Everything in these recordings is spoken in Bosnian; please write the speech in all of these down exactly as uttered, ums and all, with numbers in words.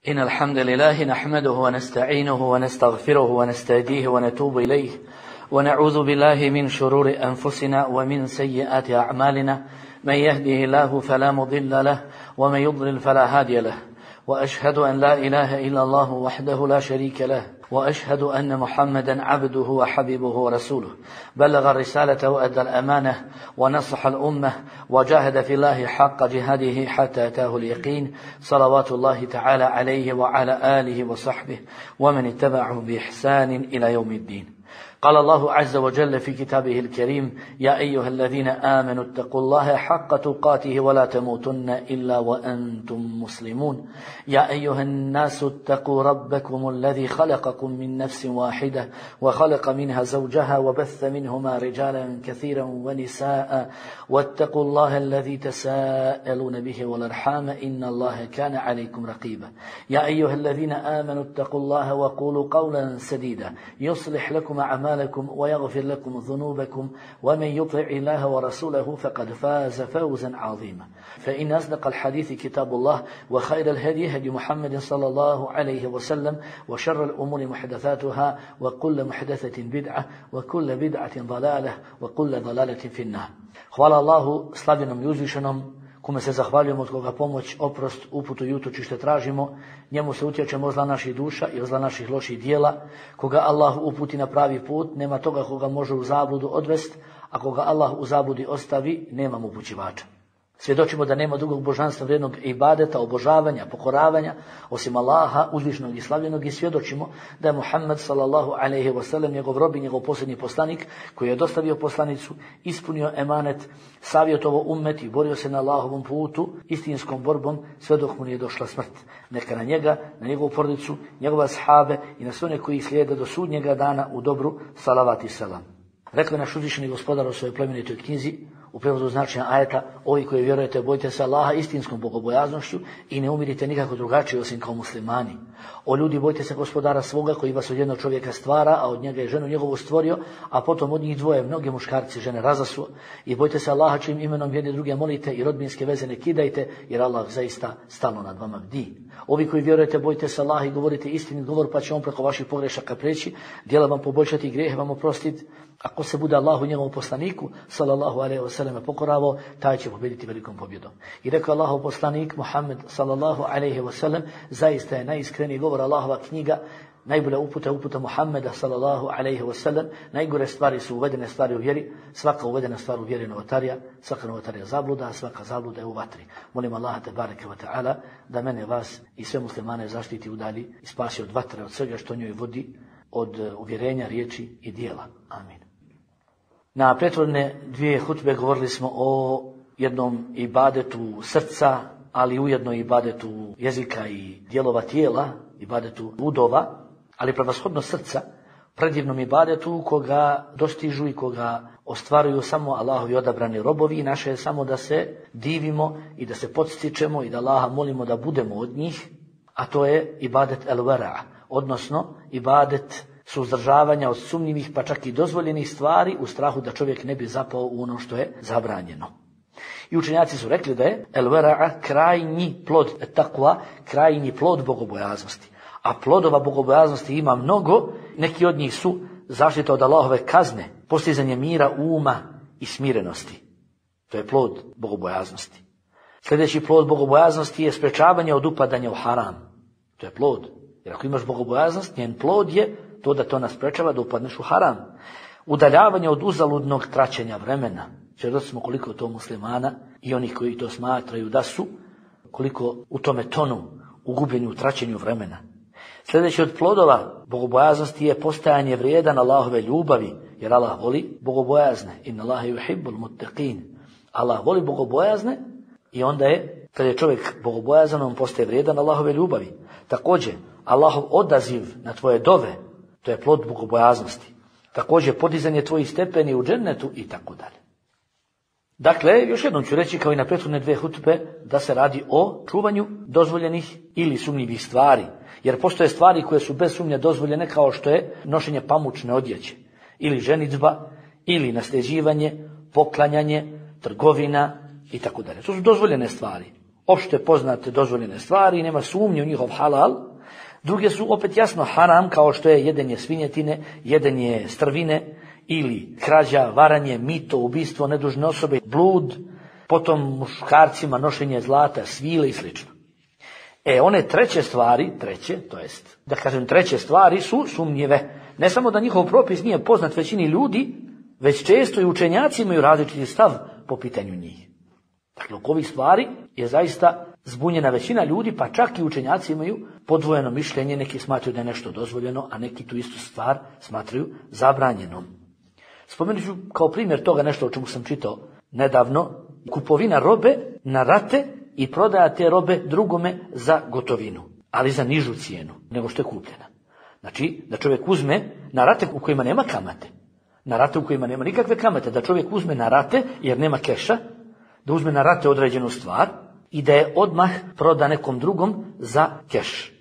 إن الحمد لله نحمده ونستعينه ونستغفره ونستهديه ونتوب إليه ونعوذ بالله من شرور أنفسنا ومن سيئات أعمالنا من يهده الله فلا مضل له ومن يضلل فلا هادي له وأشهد أن لا إله إلا الله وحده لا شريك له وأشهد أن محمدا عبده وحبيبه ورسوله بلغ الرسالة وأدى الأمانة ونصح الأمة وجاهد في الله حق جهاده حتى أتاه اليقين صلوات الله تعالى عليه وعلى آله وصحبه ومن اتبعه بإحسان إلى يوم الدين. قال الله عز وجل في كتابه الكريم: يا أيها الذين آمنوا اتقوا الله حق تقاته ولا تموتن إلا وأنتم مسلمون. يا أيها الناس اتقوا ربكم الذي خلقكم من نفس واحدة وخلق منها زوجها وبث منهما رجالا كثيرا ونساء واتقوا الله الذي تساءلون به والأرحام إن الله كان عليكم رقيبا. يا أيها الذين آمنوا اتقوا الله وقولوا قولا سديدا يصلح لكم أعمالكم ويغفر لكم ذنوبكم ومن يطع الله ورسوله فقد فاز فوزا عظيما. فإن أصدق الحديث كتاب الله وخير الهدي هدي محمد صلى الله عليه وسلم وشر الأمور محدثاتها وكل محدثة بدعة وكل بدعة ضلالة وكل ضلالة في النار. Hvala Allahu slavljenom i uzvišenom, kome se zahvaljujemo, od koga pomoć, oprost, uputu i utočište tražimo. Njemu se utječemo od zla naših duša i od zla naših loših dijela. Koga Allah uputi na pravi put, nema toga koga može u zabludu odvest, a koga Allah u zabludi ostavi, nema mu upućivača. Svjedočimo da nema drugog božanstva vrijednog ibadeta, obožavanja, pokoravanja osim Allaha uzvišenog i slavljenog, i svjedočimo da je Muhammed sallallahu alejhi ve sellem njegov rob i njegov posljednji poslanik, koji je dostavio poslanicu, ispunio emanet, savjetovao ummet i borio se na Allahovom putu istinskom borbom sve dok mu nije došla smrt. Neka na njega, na njegovu porodicu, njegove ashabe i na sve one koji slijede do sudnjega dana u dobru salavat i selam. Rekao je naš uzvišeni gospodar u svojoj plemenitoj knjizi u prijevodu značenja ajeta: ovi koji vjerujete, bojite se Allaha istinskom bogobojaznošću i ne umirite nikako drugačije osim kao muslimani. O ljudi, bojite se gospodara svoga koji vas od jednog čovjeka stvara, a od njega je ženu njegovu stvorio, a potom od njih dvoje mnogi muškarci žene razasuo. I bojite se Allaha čijim imenom jedni druge molite i rodbinske veze ne kidajte, jer Allah zaista stalno nad vama bdi. Ovi koji vjerujete, bojite se Allaha i govorite istinit govor, pa će on preko vaših pogrešaka preći, djela vam poboljšati i grijehe vam oprostiti. Ako se bude Allahu i njegovom poslaniku sallallahu alejhi ve sellem pokoravao, taj će pobjediti velikom pobjedom. I rekao Allahov poslanik Muhammed sallallahu alejhi ve sellem: zaista je najiskreniji govor Allahova knjiga, najbolja uputa uputa Muhammeda sallallahu alejhi ve sellem. Najgore stvari su uvedene stvari u vjeri, svaka uvedena stvar u vjeri je novotarija, svaka novotarija zabluda, a svaka zabluda je u vatri. Molim Allaha tebareke ve taala da mene, vas i sve muslimane zaštiti, udalji i spasi od vatre, od svega što njoj vodi, od uvjerenja, riječi i dijela. Amin. Na prethodne dvije hutbe govorili smo o jednom ibadetu srca, ali ujedno ibadetu jezika i dijelova tijela, ibadetu udova, ali prevashodno srca, predivnom ibadetu koga dostižu i koga ostvaruju samo Allahovi odabrani robovi, i naše je samo da se divimo i da se podstičemo i da Allaha molimo da budemo od njih, a to je ibadet el-vera, odnosno ibadet suzdržavanja od sumnjivih pa čak i dozvoljenih stvari u strahu da čovjek ne bi zapao u ono što je zabranjeno. I učenjaci su rekli da je el-vera krajnji plod takva, krajnji plod bogobojaznosti. A plodova bogobojaznosti ima mnogo, neki od njih su zaštita od Allahove kazne, postizanje mira uma i smirenosti. To je plod bogobojaznosti. Sljedeći plod bogobojaznosti je sprečavanje od upadanja u haram. To je plod. Jer ako imaš bogobojaznost, njen plod je to da to nas sprečava da upadneš u haram. Udaljavanje od uzaludnog traćenja vremena. Svjedoci smo koliko to muslimana i onih koji to smatraju da su, koliko u tome tonu, u gubljenju, u traćenju vremena. Sljedeći od plodova bogobojaznosti je postajanje vrijedan Allahove ljubavi, jer Allah voli bogobojazne. Inna Allaha yuhibbul muttaqin. Allah voli bogobojazne i onda je, kad je čovjek bogobojazan, on postaje vrijedan Allahove ljubavi. Također, Allahov odaziv na tvoje dove, to je plod bogobojaznosti. Također, podizanje tvojih stepeni u džennetu i tako dalje. Dakle, još jednom ću reći, kao i na prethodne dvije hutbe, da se radi o čuvanju dozvoljenih ili sumnjivih stvari. Jer postoje stvari koje su bez sumnje dozvoljene, kao što je nošenje pamučne odjeće, ili ženidba, ili nasljeđivanje, poklanjanje, trgovina i tako dalje. To su dozvoljene stvari. opšte poznate dozvoljene stvari, nema sumnje u njihov halal. Druge su opet jasno haram, kao što je jedenje svinjetine, jedenje strvine ili krađa, varanje, mito, ubistvo nedužne osobe, blud, potom muškarcima nošenje zlata, svile i sl. E, one treće stvari, treće, to jest, da kažem treće stvari su sumnjive. Ne samo da njihov propis nije poznat većini ljudi, već često i učenjaci imaju različiti stav po pitanju njih. Dakle, oko ovih stvari je zaista zbunjena većina ljudi, pa čak i učenjaci imaju podvojeno mišljenje, neki smatraju da je nešto dozvoljeno, a neki tu istu stvar smatraju zabranjenom. Spomenut ću kao primjer toga nešto o čemu sam čitao nedavno, kupovina robe na rate i prodaja te robe drugome za gotovinu, ali za nižu cijenu nego što je kupljena. Znači, da čovjek uzme na rate u kojima nema kamate, na rate u kojima nema nikakve kamate, da čovjek uzme na rate jer nema keša, da uzme na rate određenu stvar i da je odmah proda nekom drugom za keš.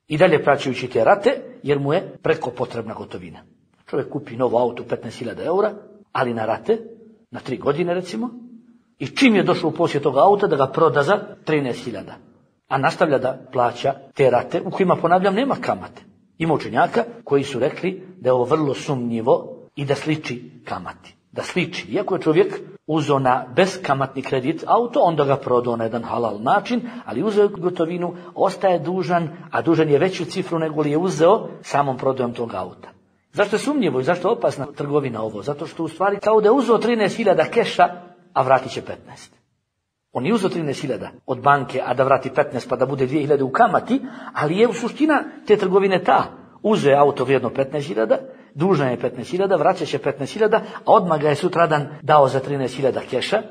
I dalje plaćajući te rate jer mu je preko potrebna gotovina. Čovjek kupi novo auto petnaest hiljada eura, ali na rate, na tri godine recimo, i čim je došao u posjed toga auta da ga proda za trinaest hiljada, a nastavlja da plaća te rate u kojima, ponavljam, nema kamate. Ima učenjaka koji su rekli da je ovo vrlo sumnjivo i da sliči kamati. Da sliči. Iako je čovjek uzeo na beskamatni kredit auto, onda ga prodao na jedan halal način, ali uzeo gotovinu, ostaje dužan, a dužan je veću cifru nego li je uzeo samom prodajom tog auta. Zašto je sumnjivo i zašto je opasna trgovina ovo? Zato što u stvari kao da je uzeo trinaest hiljada keša, a vratit će petnaest. On je uzeo trinaest hiljada od banke, a da vrati petnaest pa da bude dvije hiljade u kamati, ali je u suština te trgovine ta. Uzeo auto vrijedno petnaest hiljada, dužan je petnaest hiljada, vraća će petnaest hiljada, a odmah ga je sutradan dao za trinaest hiljada keša.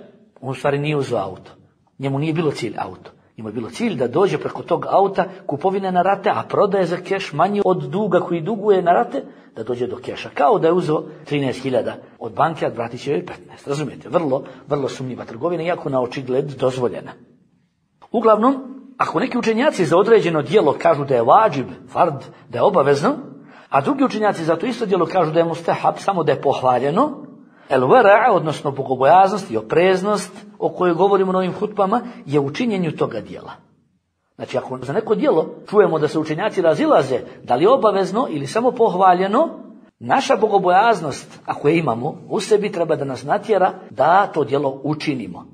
On u stvari nije uzeo auto. Njemu nije bilo cilj auto. Njemu je bilo cilj da dođe preko tog auta kupovine na rate, a prodaje za keš manji od duga koji duguje na rate, da dođe do keša. Kao da je uzeo trinaest hiljada od banke, a vratit će joj petnaest. Razumijete? Vrlo, vrlo sumnjiva trgovina, iako na očigled dozvoljena. Uglavnom, ako neki učenjaci za određeno djelo kažu da je vađib, fard, da je obavezno, a drugi učenjaci za to isto djelo kažu da je mustahab, samo da je pohvaljeno, el vera, odnosno bogobojaznost i opreznost o kojoj govorimo na ovim hutbama, je u činjenju toga djela. Znači, ako za neko djelo čujemo da se učenjaci razilaze, da li je obavezno ili samo pohvaljeno, naša bogobojaznost, ako je imamo, u sebi treba da nas natjera da to djelo učinimo.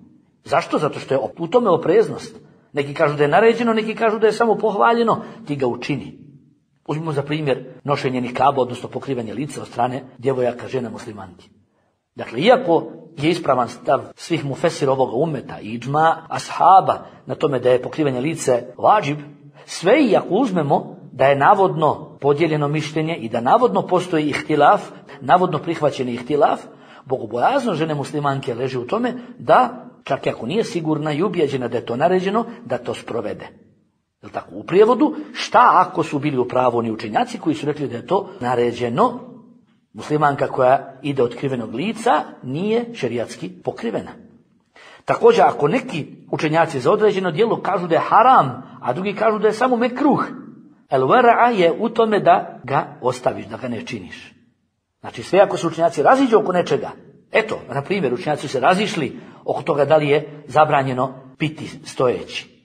Zašto? Zato što je u tome opreznost. Neki kažu da je naređeno, neki kažu da je samo pohvaljeno, ti ga učini. Uzmimo za primjer nošenje nikaba, odnosno pokrivanje lica od strane djevojaka, žena muslimanki. Dakle, iako je ispravan stav svih mufesira ovoga umeta i idžma ashaba na tome da je pokrivanje lice vađib, sve i ako uzmemo da je navodno podijeljeno mišljenje i da navodno postoji ihtilaf, navodno prihvaćeni ihtilaf, bogobojazno žene muslimanke leži u tome da, čak i ako nije sigurna i ubijeđena da je to naređeno, da to sprovede. Jel tako? U prijevodu, šta ako su bili u pravu oni učenjaci koji su rekli da je to naređeno? Muslimanka koja ide otkrivenog lica nije šerijatski pokrivena. Također, ako neki učenjaci za određeno djelo kažu da je haram, a drugi kažu da je samo mekruh, el wara'a je u tome da ga ostaviš, da ga ne činiš. Znači, sve ako su učenjaci raziđu oko nečega, eto, na primjer, učenjaci su se razišli oko toga da li je zabranjeno piti stojeći.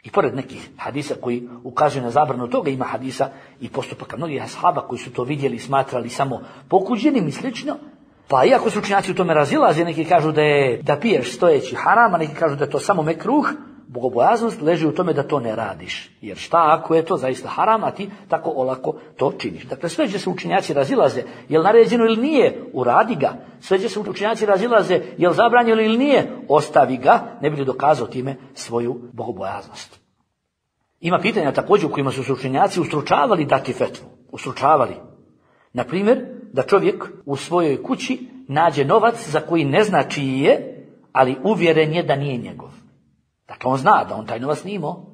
I pored nekih hadisa koji ukazuju na zabranu toga, ima hadisa i postupaka mnogih ashaba koji su to vidjeli i smatrali samo pokuđenim i slično. Pa iako su učenjaci u tome razilaze, neki kažu da je da piješ stojeći haram, a neki kažu da je to samo mekruh, bogobojaznost leži u tome da to ne radiš. Jer šta ako je to zaista haram, a ti tako olako to činiš. Dakle, sve će se učenjaci razilaze, je li naređeno ili nije, uradi ga. Sve će se učenjaci razilaze, je li zabranjeno ili nije, ostavi ga, ne bi li dokazao time svoju bogobojaznost. Ima pitanja također u kojima su se učenjaci ustručavali dati fetvu. Ustručavali. Na primjer, da čovjek u svojoj kući nađe novac za koji ne zna čiji je, ali uvjeren je da nije njegov. Dakle, on zna da on taj novac nije imao,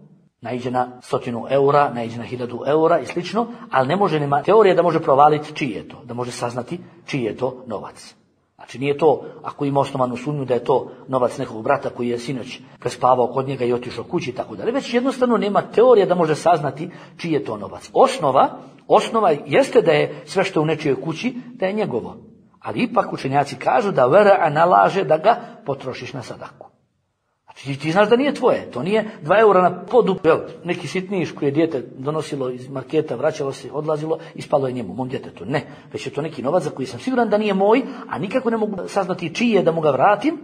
naiđe na stotinu eura, naiđe na hiljadu eura i slično, ali ne može, nema teorije da može provaliti čiji je to, da može saznati čiji je to novac. Znači, nije to, ako ima osnovanu sumnju da je to novac nekog brata koji je sinoć prespavao kod njega i otišao kući i tako dalje, već jednostavno nema teorije da može saznati čiji je to novac. Osnova, osnova jeste da je sve što je u nečijoj kući, da je njegovo. Ali ipak učenjaci kažu da vera nalaže da ga potrošiš na sadaku. Znači, Ti, ti znaš da nije tvoje, to nije dva eura na podu, neki sitniš koji je dijete donosilo iz marketa, vraćalo se, odlazilo, ispalo je njemu, mom djetetu. Ne, već je to neki novac za koji sam siguran da nije moj, a nikako ne mogu saznati čiji je da mu ga vratim.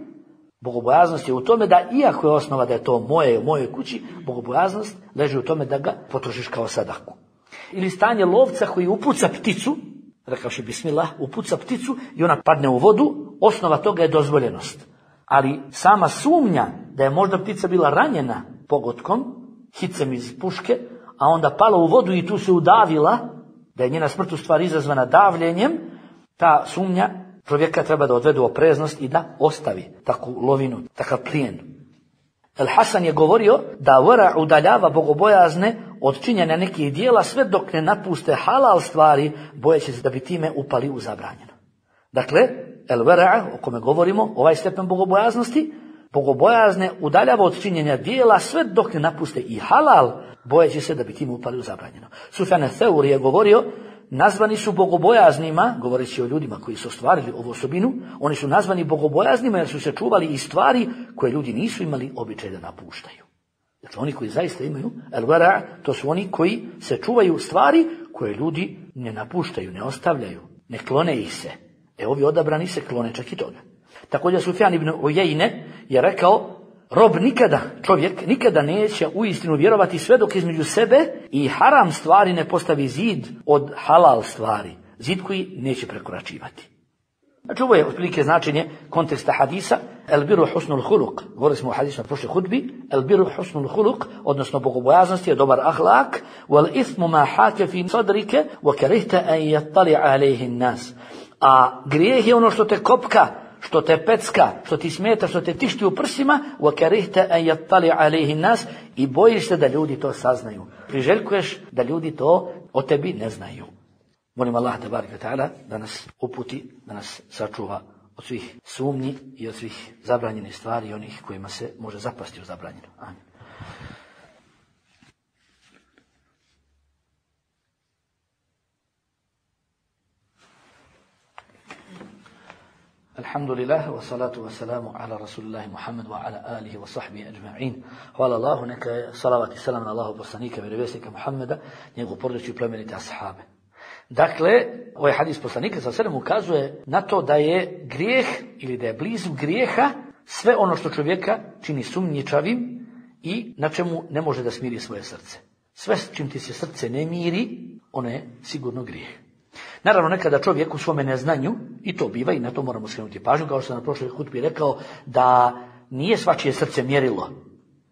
Bogobojaznost je u tome da, iako je osnova da je to moje u mojoj kući, bogobojaznost leži u tome da ga potrošiš kao sadaku. Ili stanje lovca koji upuca pticu, rekavši bismillah, upuca pticu i ona padne u vodu, osnova toga je dozvoljenost. Ali sama sumnja da je možda ptica bila ranjena pogotkom, hicem iz puške, a onda pala u vodu i tu se udavila, da je njena smrt u stvari izazvana davljenjem, ta sumnja čovjeka treba da odvede u opreznost i da ostavi takvu lovinu, takav plijen. El Hasan je govorio da vera udaljava bogobojazne od činjenja nekih dijela sve dok ne napuste halal stvari, bojeći se da bi time upali u zabranjeno. Dakle, el vera, o kome govorimo, ovaj stepen bogobojaznosti, bogobojazne udaljava od činjenja dijela sve dok ne napuste i halal, bojeći se da bi time upali u zabranjeno. Sufjan el-Thawri je govorio, nazvani su bogobojaznima, govoreći o ljudima koji su ostvarili ovu osobinu, oni su nazvani bogobojaznima jer su se čuvali i stvari koje ljudi nisu imali običaj da napuštaju. Dakle, oni koji zaista imaju el-vera, to su oni koji se čuvaju stvari koje ljudi ne napuštaju, ne ostavljaju, ne klone ih se. E ovi odabrani se klone čak i toga. Također Sufjan ibn Ujejne je rekao, rob nikada, čovjek nikada neće uistinu vjerovati sve dok između sebe i haram stvari ne postavi zid od halal stvari. Zid koji neće prekoračivati. Znači ovo je otprilike značenje konteksta hadisa. El biru husnul huluk. Govorili smo o hadisu na prošloj hudbi. El biru husnul huluk, odnosno bogobojaznost je dobar ahlak. Wal ithmu ma hake fi sadrike wa karihta an yattali alayhi nas. A grijeh je ono što te kopka, što te pecka, što ti smeta, što te tišti u prsima, وَكَرِهْتَ أَنْ يَطَّلِعَ عَلَيْهِ النَّاسِ, i bojiš se da ljudi to saznaju. Priželjkuješ da ljudi to o tebi ne znaju. Molim Allah tebareke ve taala da nas uputi, da nas sačuva od svih sumnji i od svih zabranjenih stvari i onih kojima se može zapasti u zabranjeno. Amin. Alhamdulillah, wa salatu wa salamu ala rasulillahi Muhammad wa ala alihi wa sahbihi ajma'in. Hvala Allahu, neka je salavat i salam na Allahu poslanika, vjerovjesnika Muhammeda, njegovu porodicu i plemenite ashabe. Dakle, ovaj hadis poslanika sa sedam ukazuje na to da je grijeh ili da je blizu grijeha sve ono što čovjeka čini sumnjičavim i na čemu ne može da smiri svoje srce. Sve s čim ti se srce ne miri, ono je sigurno grijeh. Naravno, nekada čovjek u svome neznanju, i to biva i na to moramo skrenuti pažnju, kao što sam na prošloj hutbi rekao, da nije svačije srce mjerilo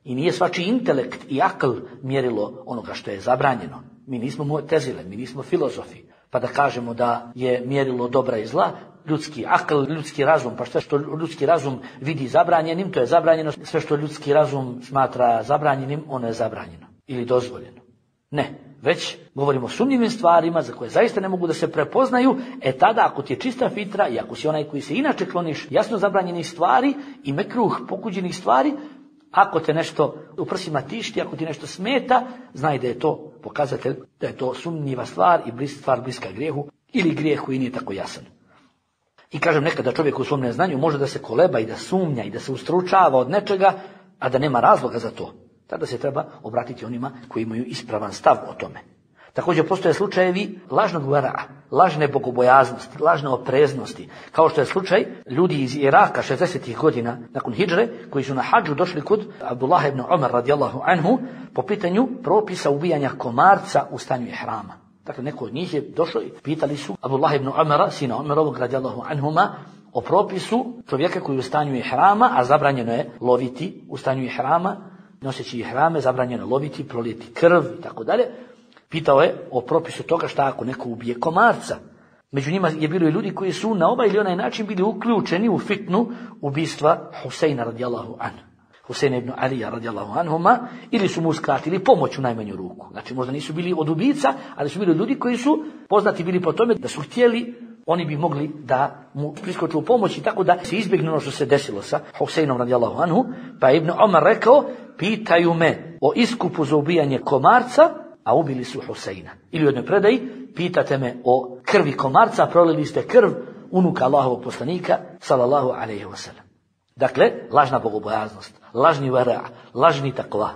i nije svačiji intelekt i akl mjerilo onoga što je zabranjeno. Mi nismo mu'tezile, mi nismo filozofi, pa da kažemo da je mjerilo dobra i zla, ljudski akl, ljudski razum, pa sve što ljudski razum vidi zabranjenim, to je zabranjeno, sve što ljudski razum smatra zabranjenim, ono je zabranjeno ili dozvoljeno. Ne. Već govorimo o sumnjivim stvarima za koje zaista ne mogu da se prepoznaju, e tada ako ti je čista fitra i ako si onaj koji se inače kloniš jasno zabranjenih stvari i mekruh pokuđenih stvari, ako te nešto u prsima tišti, ako ti nešto smeta, znaj da je to pokazatelj, da je to sumnjiva stvar i stvar bliska grijehu ili grijeh koji nije tako jasan. I kažem, nekada čovjek u svom neznanju može da se koleba i da sumnja i da se ustručava od nečega, a da nema razloga za to. Tada se treba obratiti onima koji imaju ispravan stav o tome. Također postoje slučajevi lažnog vera'a, lažne bogobojaznosti, lažne opreznosti, kao što je slučaj ljudi iz Iraka šezdesetih godina nakon hidžre, koji su na hadžu došli kod Abdullah ibn Umar radijallahu anhu po pitanju propisa ubijanja komarca u stanju ihrama. Dakle, neko od njih je došao i pitali su Abdullah ibn Umara, sina Umarovog radijallahu anhuma, o propisu čovjeka koji je u stanju ihrama, a zabranjeno je loviti u stanju ihrama, noseći ihrame, zabranjeno loviti, prolijeti krv i tako dalje. Pitao je o propisu toga šta ako neko ubije komarca. Među njima je bilo i ljudi koji su na ovaj ili onaj način bili uključeni u fitnu ubistva Huseina radijallahu anhu. Huseina ibn Alija radijallahu anhuma, ili su mu uskratili pomoć u najmanju ruku. Znači možda nisu bili od ubica, ali su bili ljudi koji su poznati bili po tome da su htjeli, oni bi mogli da mu priskoču u pomoć i tako da se izbjegne ono što se desilo sa Huseinom radijallahu anhu. Pa je Ibn Omar rekao, pitaju me o iskupu za ubijanje komarca, a ubili su Huseina. Ili u jednoj predaji, pitate me o krvi komarca, prolili ste krv unuka Allahovog poslanika, sallallahu alejhi ve sellem. Dakle, lažna bogobojaznost, lažni vera, lažni takva.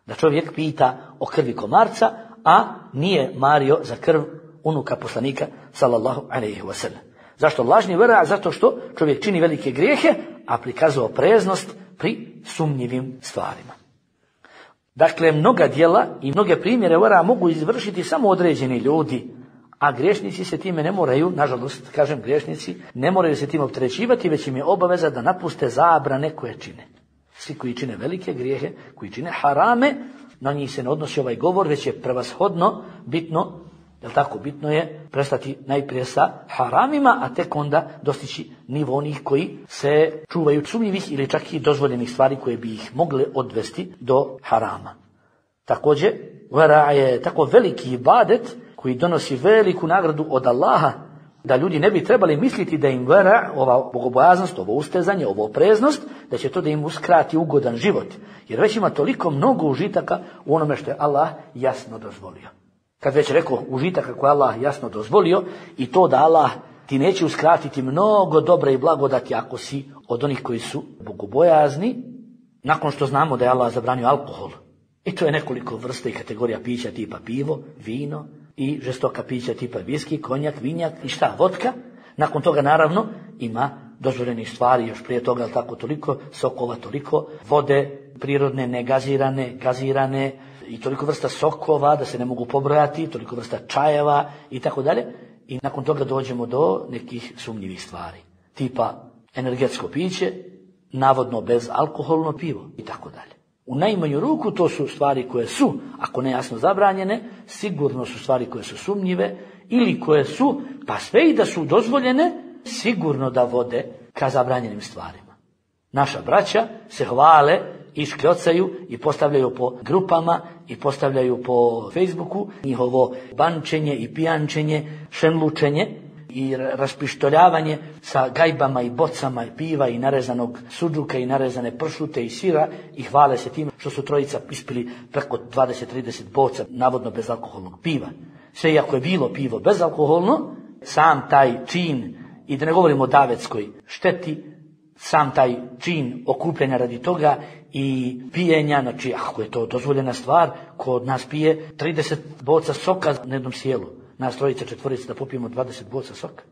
Da čovjek pita o krvi komarca, a nije mario za krv unuka poslanika sallallahu alejhi ve sellem. Zašto lažni vera? Zato što čovjek čini velike grijehe, a prikazuje opreznost pri sumnjivim stvarima. Dakle, mnoga djela i mnoge primjere vera mogu izvršiti samo određeni ljudi, a griješnici se time ne moraju, nažalost, kažem griješnici, ne moraju se time opterećivati, već im je obaveza da napuste zabrane koje čine. Svi koji čine velike grijehe, koji čine harame, na njih se ne odnosi ovaj govor, već je prevashodno bitno, jel tako, bitno je prestati najprije sa haramima, a tek onda dostići nivo onih koji se čuvaju sumnjivih ili čak i dozvoljenih stvari koje bi ih mogle odvesti do harama. Također, vera je tako veliki ibadet koji donosi veliku nagradu od Allaha, da ljudi ne bi trebali misliti da im vera, ova bogobojaznost, ovo ustezanje, ovo opreznost, da će to da im uskrati ugodan život. Jer već ima toliko mnogo užitaka u onome što je Allah jasno dozvolio. Kad već rekao užitaka koje Allah jasno dozvolio, i to da Allah ti neće uskratiti mnogo dobra i blagodati ako si od onih koji su bogobojazni, nakon što znamo da je Allah zabranio alkohol. I to je nekoliko vrsta i kategorija pića tipa pivo, vino i žestoka pića tipa viski, konjak, vinjak i šta, vodka. Nakon toga naravno ima dozvoljenih stvari, još prije toga, ali tako toliko sokova, toliko vode, prirodne, negazirane, gazirane, i toliko vrsta sokova da se ne mogu pobrojati, toliko vrsta čajeva i tako dalje. I nakon toga dođemo do nekih sumnjivih stvari, tipa energetsko piće, navodno bezalkoholno pivo i tako dalje. U najmanju ruku to su stvari koje su, ako ne jasno zabranjene, sigurno su stvari koje su sumnjive ili koje su, pa sve i da su dozvoljene, sigurno da vode ka zabranjenim stvarima. Naša braća se hvale i škljocaju i postavljaju po grupama i postavljaju po Facebooku njihovo bančenje i pijančenje, šenlučenje i raspištoljavanje sa gajbama i bocama i piva i narezanog sudžuka i narezane pršute i sira i hvale se tim što su trojica ispili preko dvadeset do trideset boca navodno bezalkoholnog piva. Sve iako je bilo pivo bezalkoholno, sam taj čin, i da ne govorimo o davetskoj šteti, sam taj čin okupljanja radi toga i pijenja, znači ako je to dozvoljena stvar, ko od nas pije trideset boca soka na jednom sjelu, nas trojica, četvorica da popijemo dvadeset boca soka.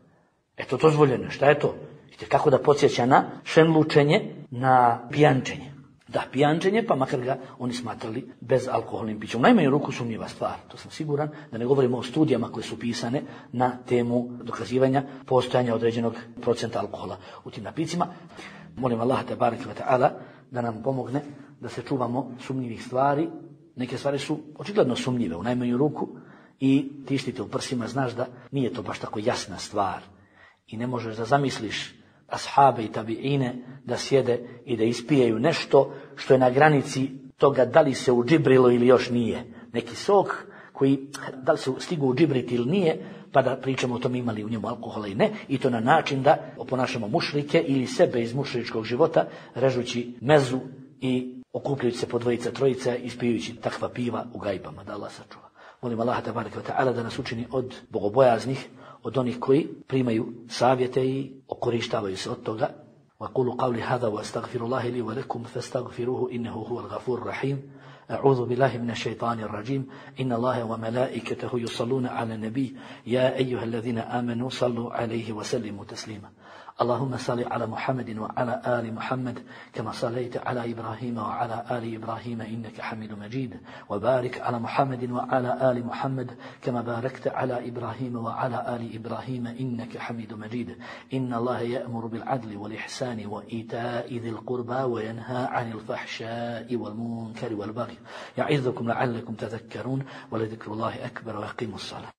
Eto, dozvoljeno, šta je to? Vidite kako da podsjeća na šenlučenje, na pijančenje. Da, pijančenje, pa makar ga oni smatrali bezalkoholnim pićem. U najmanju ruku sumnjiva stvar, to sam siguran, da ne govorimo o studijama koje su pisane na temu dokazivanja postojanja određenog procenta alkohola u tim napicima. Molim Allaha te bareke ve taala da nam pomogne da se čuvamo sumnjivih stvari. Neke stvari su očigledno sumnjive u najmanju ruku i tištite u prsima, znaš da nije to baš tako jasna stvar i ne možeš da zamisliš ashabe i tabiine da sjede i da ispijaju nešto što je na granici toga da li se udžibrilo ili još nije. Neki sok koji da li se stigu udžibriti ili nije, pa da pričamo o tom imali u njemu alkohola i ne, i to na način da oponašamo mušrike ili sebe iz mušričkog života, režući mezu i okupljujući se po dvojica, trojica, ispijujući takva piva u gajbama, da Allah sačuva. Molim Allaha tabaraka wa ta'ala da nas učini od bogobojaznih, od onih koji primaju savjete i okorištavaju se od toga. وَقُولُوا قَوْلِ هَذَا وَأَسْتَغْفِرُ اللَّهِ لِي وَلَكُمْ فَاسْتَغْفِرُوهُ إِنَّهُ هُوَ الْغَفُورُ الرَّحِيمُ أعوذ بالله من الشيطان الرجيم إن الله وملائكته يصلون على النبي يا أيها الذين آمنوا صلوا عليه وسلموا تسليما اللهم صل على محمد وعلى آل محمد كما صليت على إبراهيم وعلى آل إبراهيم إنك حميد مجيد وبارك على محمد وعلى آل محمد كما باركت على إبراهيم وعلى آل إبراهيم إنك حميد مجيد إن الله يأمر بالعدل والإحسان وإيتاء ذي القربى وينهى عن الفحشاء والمنكر والبغي يعظكم لعلكم تذكرون ولذكر الله أكبر ويقيموا الصلاة.